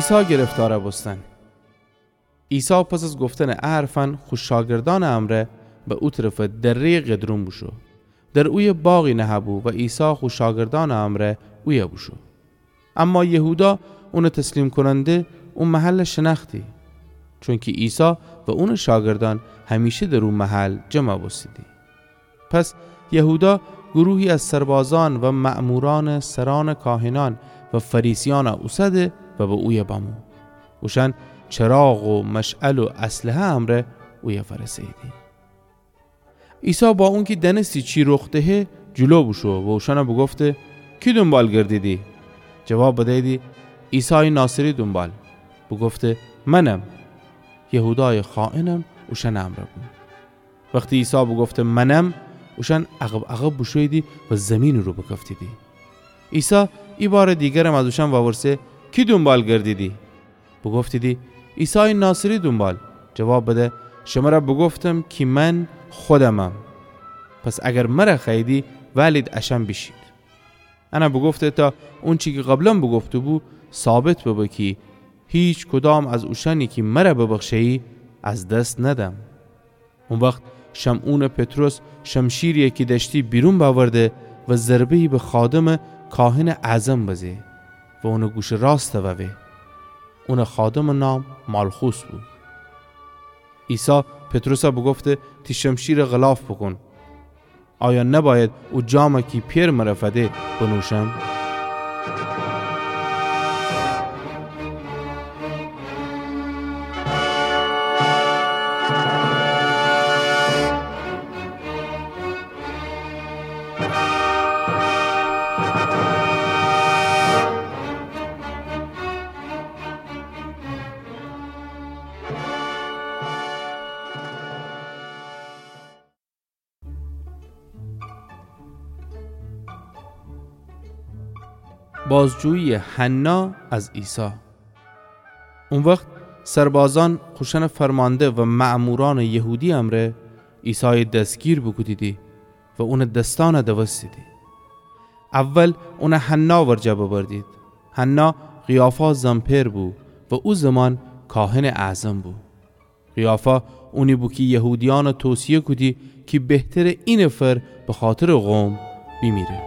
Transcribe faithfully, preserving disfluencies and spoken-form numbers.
عیسی گرفتارَ بوستن. عیسی پس از گفتنٚ ا حرفأن خو شاگردأنٚ امرأ به او طرفٚ دره‌یٚ قدرون بوشو. در اویه باغی نهه‌بو و عیسی خو شاگردأنٚ امرأ اویه بوشو. اما یهودا، اونٚ تسلیم کوننده، او محلَ شنأختی، چونکی عیسی و اونٚ شاگردأن همیشه در او محل جمع بوستیدی. پس یهودا گروهی از سربازأن و مأمورأنٚ سرأنٚ کاهنأن و فریسیأنَ اوسده و به اویه بمو. اوشأن چراغ و مشعل و اسلحه امرأ اویه فأرسه‌ییدی. عیسی با اونکی دأنستی چی رخ دهه، جلو بوشو و اوشأنَ بوگفته: کی دونبال گردیدی؟ جواب بدییدی: عیسایٚ ناصری دونبال. بوگفته: منم. یهودایٚ خائنم اوشأنٚ امرأ بو. وختی عیسی بوگفته: منم، اوشأن عقب‌عقب بوشوییدی و زیمینٚ رو بکفتیدی. عیسی ایبارٚ دیگرم از اوشأن وورسه: کی دونبال گردیدی؟ بوگفتیدی: عیسایٚ ناصری دونبال. جواب بده: شمرَ بوگفتم کی من خودمم. پس اگر مرَ خوأییدی، وئلید اشأن بیشید. انَ بوگفته تا اونچی کی قبلا بوگفته‌بو ثابت ببه کی هیکدام از اوشأنی کی مرَ ببخشه‌یی از دس ندم. او وخت شمعونٚ پطرس شمشیری کی دأشتی بیرون بأورده و ضربه‌یی به خادمٚ کاهنٚ اعظم بزه و اونٚ گوشٚ راستَ ووه. اونٚ خادمٚ نام مالخوس بو. عیسی پطرسَ بوگفته: تی شمشیرَ غلاف بوکون. آیا نبأید او جامَ کی پئر مرَ فده بنوشم؟ بازجویی‌یٚ حنا از عیسی. او وخت سربازأن خوشأنٚ فرمانده و مأمورأنٚ یهودی امرأ عیسایَ دسگیر بوکودیدی و اونٚ دسأنَ دوستیدی. اول اونَ حنا ورجه ببردید. حنا قیافا زن پئر بو و او زمان کاهنٚ اعظم بو. قیافا اونی بو کی یهودیأنَ توصیه کودی کی بهتره اینفر بخاطرٚ قوم بیمیره.